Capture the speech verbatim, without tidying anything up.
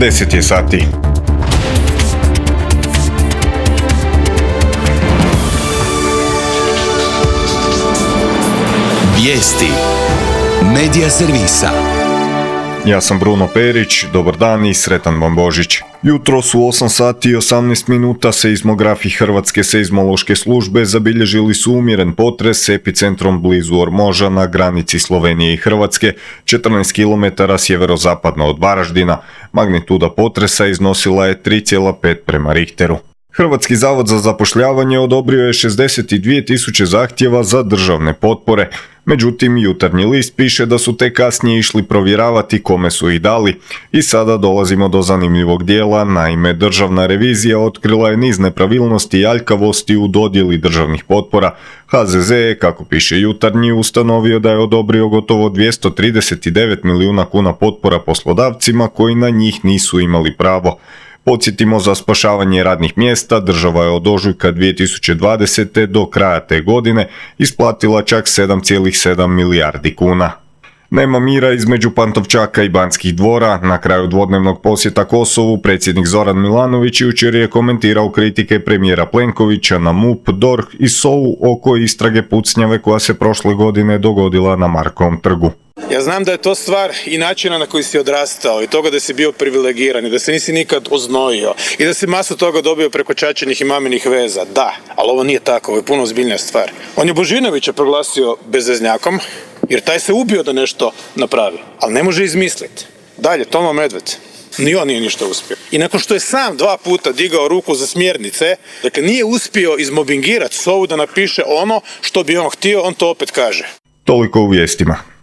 deset je sati. Vijesti Medija servisa. Ja sam Bruno Perić, dobar dan i sretan vam Božić. Jutros u osam sati i osamnaest minuta seizmografi Hrvatske seizmološke službe zabilježili su umjeren potres s epicentrom blizu Ormoža na granici Slovenije i Hrvatske, četrnaest kilometara sjeverozapadno od Varaždina. Magnituda potresa iznosila je tri zarez pet prema Richteru. Hrvatski zavod za zapošljavanje odobrio je šezdeset dvije tisuće zahtjeva za državne potpore. Međutim, Jutarnji list piše da su te kasnije išli provjeravati kome su ih dali. I sada dolazimo do zanimljivog dijela, naime Državna revizija otkrila je niz nepravilnosti i aljkavosti u dodjeli državnih potpora. H Z Z je, kako piše Jutarnji, ustanovio da je odobrio gotovo dvjesto trideset devet milijuna kuna potpora poslodavcima koji na njih nisu imali pravo. Podsjetimo, za spašavanje radnih mjesta država je od ožujka dvije tisuće dvadesete do kraja te godine isplatila čak sedam zarez sedam milijardi kuna. Nema mira između Pantovčaka i Banskih dvora. Na kraju dvodnevnog posjeta Kosovu predsjednik Zoran Milanović jučer je komentirao kritike premijera Plenkovića na M U P, D O R H i S O U oko istrage pucnjave koja se prošle godine dogodila na Markovom trgu. Ja znam da je to stvar i načina na koji si odrastao i toga da si bio privilegiran i da se nisi nikad oznojio i da si masu toga dobio preko čačenih i maminih veza. Da, ali ovo nije tako, ovo je puno ozbiljnija stvar. On je Božinovića proglasio bezveznjakom jer taj se ubio da nešto napravi, ali ne može izmisliti. Dalje, Tomo Medved. Ni on nije ništa uspio. I nakon što je sam dva puta digao ruku za smjernice, dakle nije uspio izmobingirati S O U da napiše ono što bi on htio, on to opet kaže. Toliko u vijestima.